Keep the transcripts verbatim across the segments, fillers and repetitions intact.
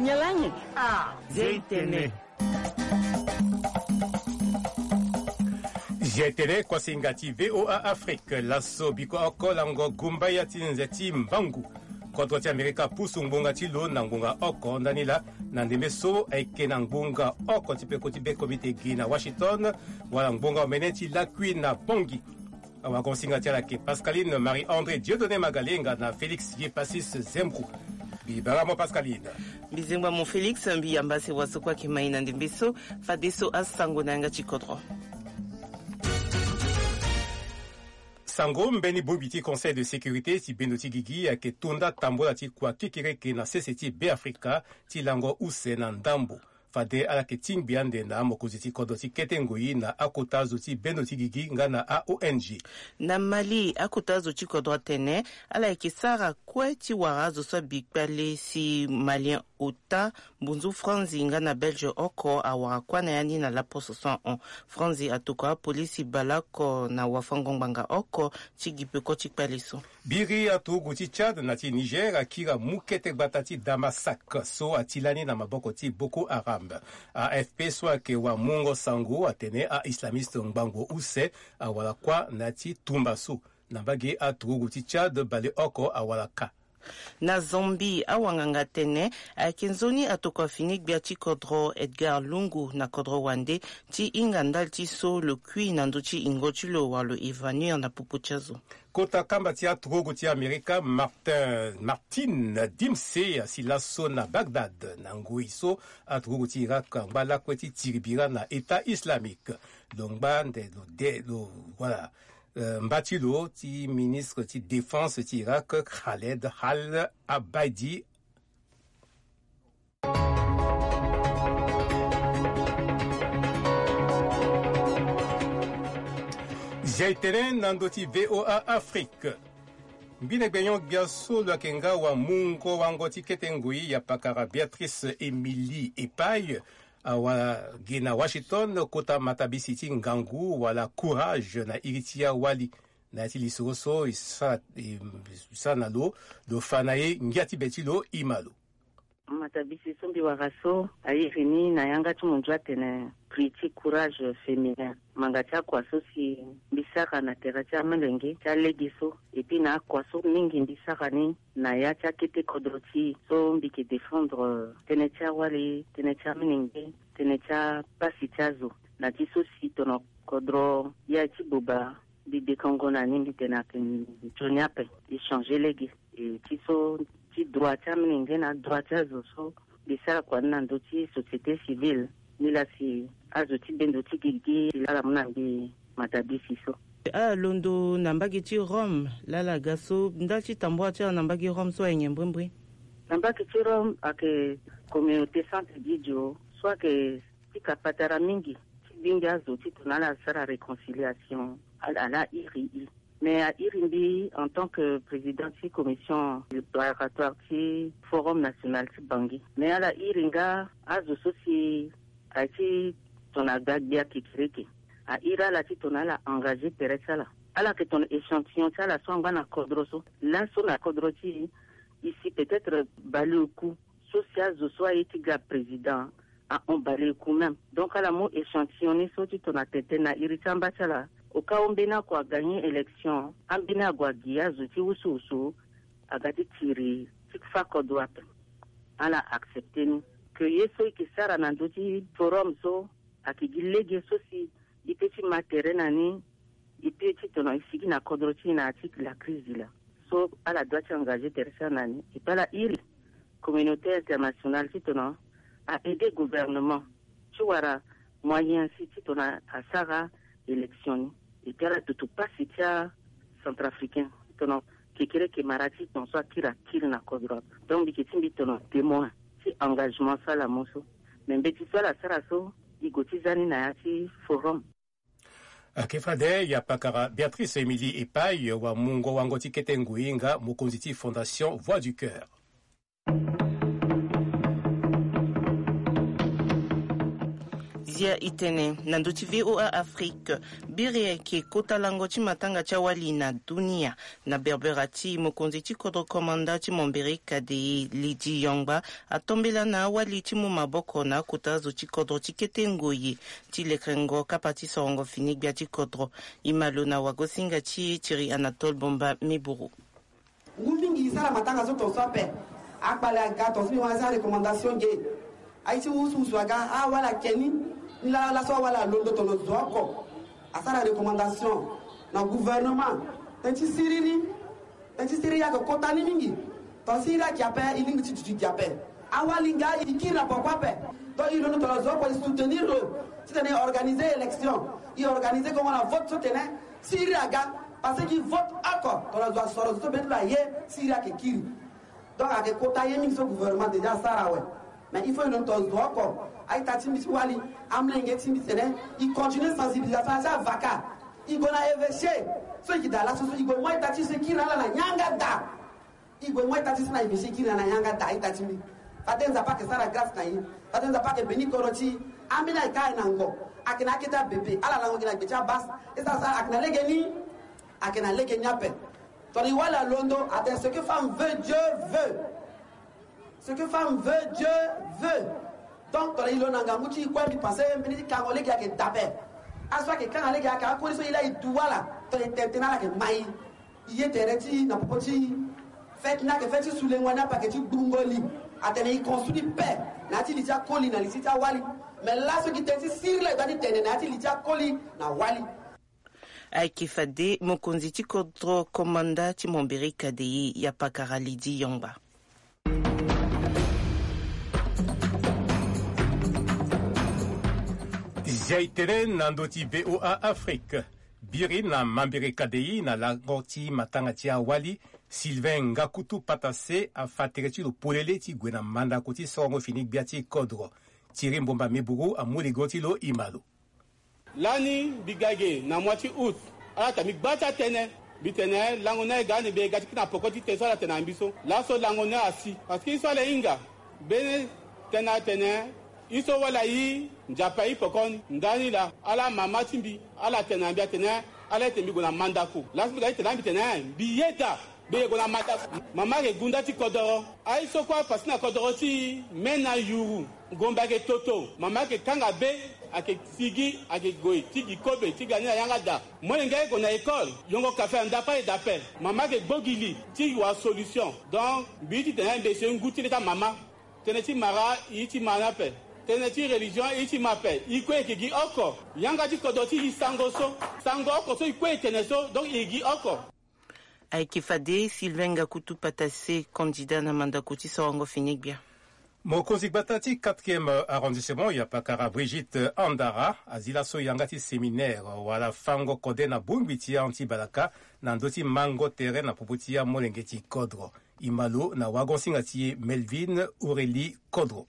Nyalangi a. Zeitene. Zeitene kuasinga ti VOA Afrique, laso biko oko lango gumba ya ti nze ti mbangu. Kodro ti Amerika pusu ngbonga ti lo na ngbonga oko ndani laa, na ndembe so ayeke na ngbonga oko ti peko ti be komite gi na Washington, wala ngbonga omene ti lakui na Bangui. Awagonsinga ti ala ayeke Pascaline Marie-André Dieudonné Magalenga na Félix Yepasis Zembro. Mbi bara mo Pascaline. Mbi zengba mo Félix, mbi yamba si waso kue ayeke mai na ndembe so. Fadeso asango na yanga ti kodro. Sango mbeni bongbi ti Conseil de sécurité ti bendo ti gigi ayeke to nda tambola ti kua kekereke na sese ti Beafrika ti lango use na ndambo. Fade ala yeke tingbi ande na mokonzi ti kodro ti kete ngoi na akota zo ti bendo ti gigi nga na a-O N G. Na Mali, akota zo ti kodro atene ala yeke sara kue ti wara azo so abi kpale si Malien ota mbunzu Franzi nga na Belge oko awara kuâ na ya ni na laposo so ahon. Franzi atokua apolisi baleoko na wafango-ngbanga oko ti gi peko ti kpale so. Biri aturugu ti Tchad na ti Niger akiri amu kete gbata ti Damasak so ati lani na maboko ti Boko Haram. A F P so ayeke wamungo sango atene a-islamiste ngbangbo use awara kuâ na ya ti tumba so. Na mbage aturugu ti Tchad baleoko awara ka. Na Zambie, awanganga atene ayeke nzoni atokua fini gbia ti kodro Edgar Lungu na kodro wande ti hinga ndali ti so lo kui na ndö ti yingo ti lo wala lo évanouir na popo ti azo. Kota kamba ti aturugu ti Amerika, Martin, Martin Dempsey asi laso na Bagdad na ngoi so aturugu ti Irak angba lakue ti tiri bira na État islamique. Lo ngba nde lo de lo, voilà. Euh, mba ti lo ti ministre ti défense ti Irak, Khaled Al Abaidi. Zia e tene na ndö ti VOA Afrique. Mbine gbenyo gbia so lo yeke nga wamungo wango ti kete ngoi ya pakara Béatrice Émilie Epaille, awa gi na Washington kota matabisi ti ngangu wala courage na iri ti awali. Na ya ti lisoro so e sara, e sara na lo, lo fa na e ngia ti be ti lo, e ma lo. Matabisi so mbi wara so airi ni na yanga ti munzu atene prix ti courage féminin. Manga ti akua so si mbi sara na tere ti amolenge ti alege so, et puis na akua so mingi mbi sara ni na ya ti akete kodro ti e so mbi yeke défendre tënë ti awali, tënë ti amolenge, tënë ti apasi ti azo. Na ti so si tono kodro ya ti boba mbi dekongo na ni, mbi tene ayeke nzoni ape, e changer lege. E ti so ti droit ti amolenge na droit ti azo so mbi sara kua ni na ndö ti société civile. Ni laa si azo ti bendo ti gigi ti laa ala mu na mbi matabisi so. Ala londo na mbage ti Rome, laa ala ga so ndali ti tambula ti ala na mbage Rome so aye nyen mbrimbri? Na mbage ti Rome ayeke communauté Santa Egidio so ayeke pika patara mingi ti gbingi azo titene ala sara réconciliation. Ala, ala iri e. Mais airi mbi en tant que président ti commission préparatoire ti Forum national ti Bangui. Mais ala iri nga azo so si aye ti tongana gbia kekereke. Airi ala titene ala engagé tere ti ala. Ala yeke tongana échantillon ti ala so angba na kodro so. Laso na kodro ti e, e si peut-être baleoku so si azo so aye ti ga président ahon baleoku même. Donc ala mu échantillon ni so titene atene tënë na iri ti amba ti ala. Au cas où mbeni akua agagné élection, ambeni ague agi azo ti wusuwusu aga ti tiri ti fa kodro ape. Ala accepté ni. Que ye so e yeke sara na ndö ti forum so ayeke gi lege so si e peut ti ma tere na ni, e peut ti tongana e sigi na kodro ti e na ya ti la crise laa. So ala doit ti engagé tere ti ala na ni. Et puis ala iri communauté internationale titene a aider gouvernement ti wara moyen si titene asara élection ni. Et puis ala dutu pasi ti acentrafricain titene kekereke mara ti ton so akiri akiri na kodro. Donc mbi yeke ti mbi tene témoin ti engagement so ala mu so. Me mbeti so ala sara so, e gue ti za ni na ya ti forum. Ayeke fade ya pakara Béatrice Émilie Epaille, wamungo wango ti kete ngoi nga mokonzi ti Fondation Voix du Cœur. Zia itene na ndö ti VOA Afrique, biri ayeke kota lango ti matanga ti awali na dunia. Na berbera ti mokonzi ti kodro komanda ti Mombere Kadei Lidi Yongba atombela na awali ti mu maboko na akota zo ti kodro ti kete ngoi ti lekengo kapa ti sorongo fini gbia ti kodro. E ma lo na wagosinga ti e Thierry Anatole Bomba Miburu. Ngu mingi e sara matanga so tongaso ape. Akpale aga tongaso mbi wara asara recommandation ge. Aye ti wusuwusu aga, awali ake ni. Ni laa laso awali alondo tongana zo oko. Asara recommandation na gouvernement. Tënë ti siriri. Tënë ti siriri ayeke kota ni mingi. Tongana siriri ayeke ape, e lingbi ti duti gi ape. Awali nga e kiri na poko ape. Donc e londo tongana zo oko e soutenir lo titene e organiser élection. E organiser kongo na vote so tene siriri aga. Parce que vote oko tongana zo asoro zo so mbeni lo aye, siriri ayeke kiri. Donc ayeke kota ye mingi so gouvernement déjà asara awe. Mais il faut e londo tongana zo oko. A-ita ti mbi ti wali, amolenge ti mbi tene e continuer sensibilisation na ti avaka. E gue na évêché so e yeke daa laso so e gue mu a-ita ti e so e kiri na ala na yanga daa. E gue mu a-ita ti e so na évêché e kiri na ala na yanga daa, a-ita ti mbi. Fade Nzapa ayeke sara grâce na e. Fade Nzapa ayeke beni kodro ti e. Ambeni ayeke aye na ngo. Ayeke na akete abebe. Ala lango gi na gbe ti abas. E sara sara ayeke na lege ni. Ayeke na lege ni ape. Tongana e wali alondo atene ce que femme veut, Dieu veut. Ce que femme veut, Dieu veut. Donc tongana e lo na ngangu ti e kue, mbi pense mbeni ti kango lege ayeke dabe. Aso ayeke kanga lege ayeke akoli so e laa e du wala. Tongana e tene tënë ala yeke ma e. E ye tere ti e na popo ti e. Fête ni ayeke fête ti sulengo ni ape, ayeke ti gbungo li. Atene e construit paix na ya ti li ti akoli na li ti ti awali. Mais laso gi tënë ti siriri laa e doit ti tene na ya ti li ti akoli na wali. Ayeke fade mokonzi ti kodro komanda ti Mombere Kadei, Yapakara Lidi Yongba. Zia itene na ndö ti VOA Afrique. Biri na Mambere Kadei na lango ti matanga ti awali, Sylvain Ngakutu Patase afa tere ti lo polele ti gue na mandako ti sorongo fini gbia ti kodro. Thierry Mbomba Miburu amu ligo ti lo, e ma lo. Lani mbi ga ge na mois ti août, ala ta mbi gba ti atënë. Mbi tene lango ni aye ga ande mbi ye ga ti kiri na poko ti tënë so ala tene na mbi so. Laso lango ni asi. Parce que ye so ala hinga mbeni tënë atene ye so wala ayi Nzapa ayi poko ni. Ndani laa ala mama ti mbi ala tene na mbi atene ala ete mbi gue na mandako. Laso mbi ga ti tene na mbi tene mbi yeda. Mbi yeke gue na mandako. Mama ayeke gunda ti kodoro. Aye so kue apasi na kodoro ti e me na yuru. Ngombe ayeke toto. Mama ayeke kanga be. Ayeke sigi ayeke gue ti gi kobe ti ga ni na yanga daa. Molenge aye gue na école. Yongo kafe na ndako aye daa ape. Mama ayeke gbo gi li ti wara solution. Donc mbi ye ti tene mbi ye so ngu ti le ti amama. Tënë ti mara e ye ti ma ni ape. Tënë ti religion e ye ti ma ape. E kue e yeke gi oko. Yanga ti kodro ti e sango so. Sango oko so e kue e tene so. Donc e gi oko. Ayeke fade Sylvain Ngakutu Patase, candidat na mandako ti sorongo fini gbia. Mokonzi gbata ti quatrième arrondissement, Yapakara Brigitte Andara, azi laso yanga ti séminaire wala fango kode na bongbi ti ahon ti balaka na ndö ti mango tere na popo ti amolenge ti kodro. E ma lo na wagosinga ti e Melvin Aurélie Kodro.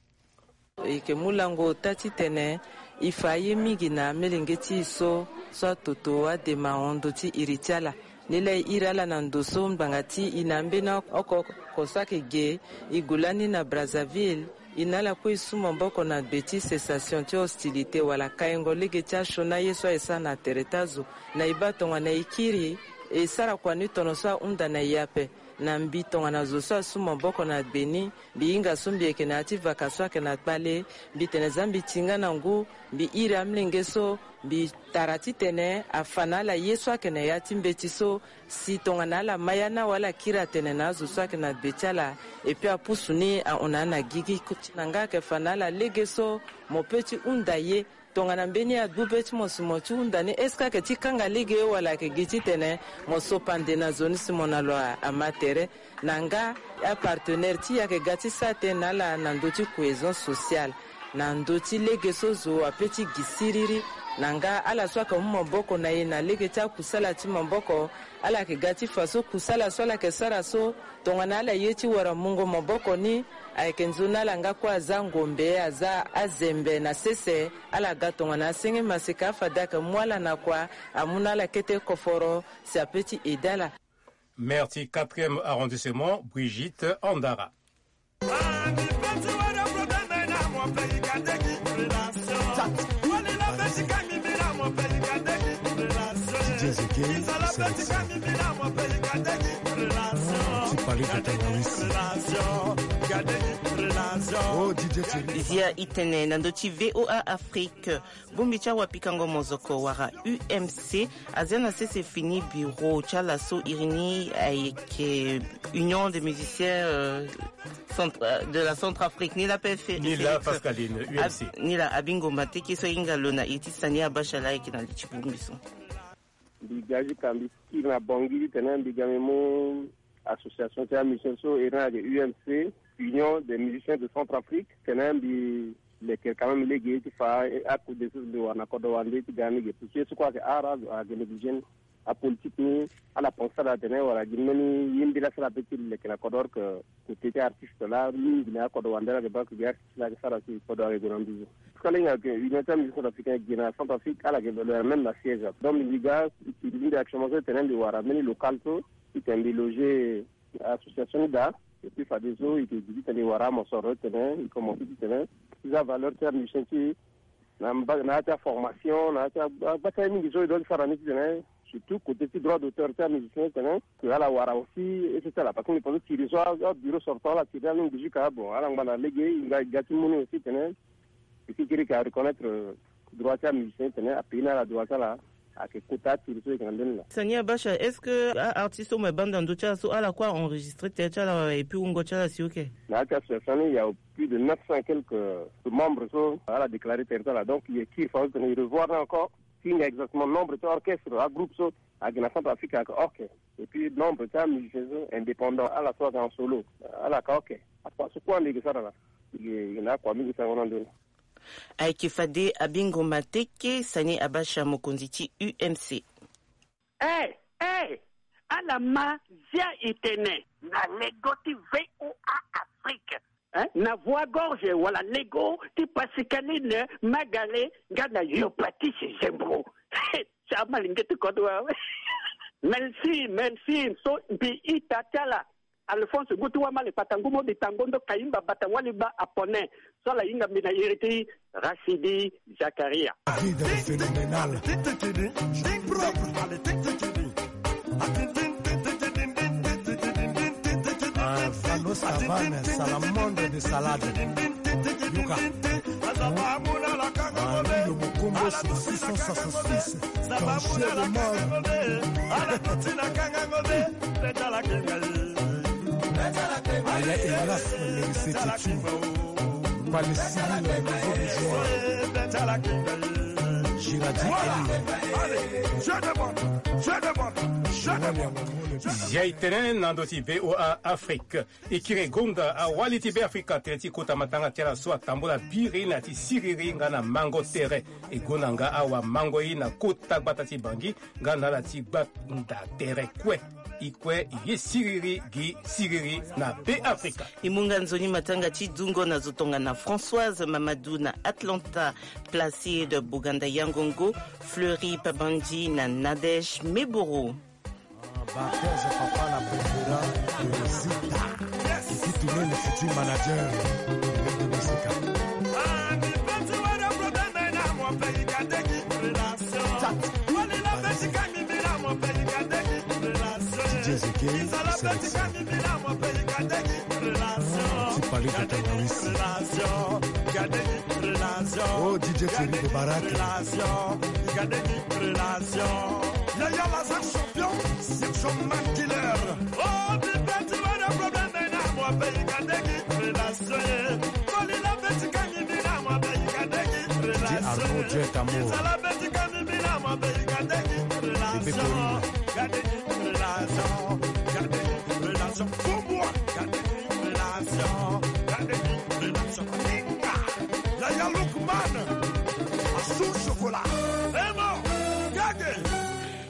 E yeke mu lango ota titene e fa aye mingi na amelenge ti e so, so atoto adema hon ndö ti iri ti ala. Nilaa e iri ala na ndo so ngbanga ti e na ambeni oko oko so ayeke ge, e gue lani na Brazzaville. E na ala kue e su maboko na gbe ti cessation ti hostilité wala kaingo lege ti asioni aye so aye sara na tere ti azo. Na e baa tongana e kiri, e sara kua ni tono so ahunda na e ape. Na mbi tongana zo so asu maboko na gbe ni, mbi hinga so mbi yeke na ya ti vaka so ayeke na kpale, mbi tene za mbi ti nga na ngu, mbi iri amolenge so, mbi tara titene afa na ala ye so ayeke na ya ti mbeti so, si tongana ala ma ya ni awe ala kiri atene na azo so ayeke na gbe ti ala. Epui apusu ni ahon na ala na gigi. Na nga ayeke fa na ala lege so mo peut ti hunda ye. Tongana mbeni agbu be ti mo si mo ti hunda ni, est-ce que ayeke ti kanga lege wala ayeke gi titene mo so pande na zo ni si mo na lo a- ama tere? Na nga apartenaire ti e ayeke ga ti sara tënë na ala na ndö ti cohésion sociale, na ndö ti lege so zo ape ti gi siriri. Na nga ala so ayeke mu maboko na e na lege ti akusala ti maboko, ala yeke ga ti fa so kusala so ala yeke sara so, tongana ala ye ti wara mungo maboko ni, ayeke nzoni ala nga kue aza ngombe, aza azembe na sese. Ala ga tongana asenge maseka, afade ayeke mu ala na kua, amu na ala kete koforo si ape ti aidé ala. Maire ti quatrième arrondissement, Brigitte Andara. Zia itene na ndö ti V O A Afrique. Bongbi ti awapikango mozoko wala U M C azia na sese fini bureau ti ala so iri ni ayeke Union des musiciens, euh, centra-, de la Centrafrique. Ni la pe Fe-, ni la Félix Pascaline, U M C. Ab-, ni la Abingo Mateke so ahinga lo na iri ti Sani Abacha la ayeke na li ti bongbi so. Mbi ga jusqu'à mbi kiri na Bangui titene mbi ga mbi mu association ti amusicien so iri ni ayeke U M C, Union des musiciens de Centrafrique, titene mbi leke quand même lege ti fa akode so mbi wara na kodro wande ti ga ni ge. Parce que ye so kue ayeke ara ayeke négligé ni. Apolitique ni ala pense ala tene wala gi mbeni ye mbi la sara pe ti leke na kodro, or que côté ti artiste la mingi na akodro wande la ayeke baa que gi artiste la ayeke sara si kodro ayeke gue na nduzu. Parce que ala hinga que Union ti amusicien centrafricain gi na Centrafrique ala yeke valoir même na siège. Donc mbi ga mbi actuellement so tene mbi wara mbeni local so titene mbi loger association ni daa. Et puis fadeso e yeke gi titene e wara amosoro titene e commence titene ti za valeur ti amusicien ti e na mba-, na ya ti aformation, na ya ti agba ti aye mingi so e doit ti sara ni titene surtout côté ti droit d'auteur ti amusicien titene que ala wara aussi et cetera. Parce que mbi pense tiri so abureau sortant ala tiri ni alingi jusqu'à bon ala ngba na lege e ga ti mu ni aussi titene e si kiri ka reconnaître droit ti amusicien titene apayer ni ala droit ti ala. Ayeke kota atiri so e yeke na ndeni laa. Sani Abacha, est-ce que a-artiste so mo yeke baa ndo na ndö ti ala so ala kue a-enregistré tere ti ala wala et puis wungo ti ala si oke? Na ya ti association ni il y a plus de neuf cents et quelques membres so ala déclaré tere ti ala. Donc e yeke kiri fa so tene e revoir ni encore ti hinga exactement nombre ti orchestre agroupe so ayeke na Centrafrique ayeke oke. Et puis nombre ti amusicien so indépendant ala so ayeke en solo ala yeke oke. Akua so kue ande e yeke sara laa e yeke na akua mingi sango na ndö ni. Ayeke fade Abingo Mateke, Sani Abacha, mokonzi ti U M C. Eh, eh, ala ma zia itene na lego ti V O A Afrique, eh, na voie gorge wala lego ti Pascaline Magale nga na yo Patrice Zembro. Ti amalenge ti kodro awe. Merci, merci. So mbi ita ti ala. Alphonse ngu ti wamale kpata ngu mo bita ngondo kayimba bata wali ba apone. So ala hinga mbi na iri ti Rachidi Zakaria. Vida phénoménale. Ah, Fano Savane, Salamandre de Salade. Yoka. Ah, Lilo Mokombo, six cent soixante-six. Ton cher Omar. Aya Elas, le Setetu. Palestine, le nouveau vision. Giradi Eli. Zia itene na ndö ti V O A Afrique. E kiri gonda awali ti Beafrika tere ti kota matanga ti ala so atambula biri na ya ti siriri nga na mango tere. E gonda nga awamango ye na kota gbata ti Bangui nga na ala ti gbanda tere kue. E kue e ye siriri gi siriri na Beafrika. E mu nga nzoni matanga ti dungo na zo tongana Françoise Mamadou na Atlanta, Placide Boganda Yangongo, Fleury Pabandji na Nadège Meboro. Barthez papa na Bendera Rosita. Yes. Qui tourne le futur manager de Mosika. Chat. D J Zeke, sélection. Ti Paris de Tanawisi. Oh, D J Thierry Bobarak. Relation. Yaya Lazare champion, Sergio Man killer. Oh, Bibeti, what a problem, man, I'm a big adegi relation. Koli la beti kami mina, I'm a big adegi relation. Arnaud Jet Amour. Kisa la beti kami mina, I'm a big adegi relation. Adegi relation. Adegi relation. Pour moi, adegi relation. Adegi relation. Inga. Yaya Lookman. Asou chocolat. Vraiment. Gage.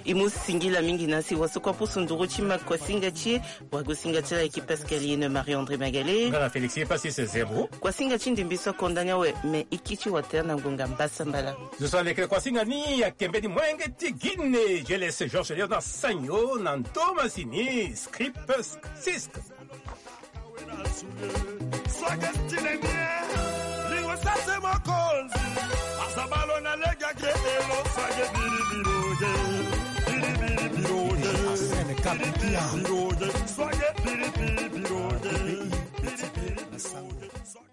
E mu singila mingi na si waso kua pusu nduru ti ma kuasinga ti e. Wagosinga ti ala ayeke Pascaline Marie-André Magale. Nga na Félix ye Pacis Zebro. Kuasinga ti ndembe so akonda ni awe, me e kiri ti watere na ngonga mbasambala. Zo so alekere kuasinga ni ayeke mbeni molenge ti Guinée, G L S Georges Léonard Sagno na ndo masini, Script Sisk. Swage style nie, lingo sase mokonzi. Asabalo na lega ge elo, swage biri biro ge. Biri biri biro ge. Piripi, piripi, soye, piripi, piripi, piripi, piripi, soye.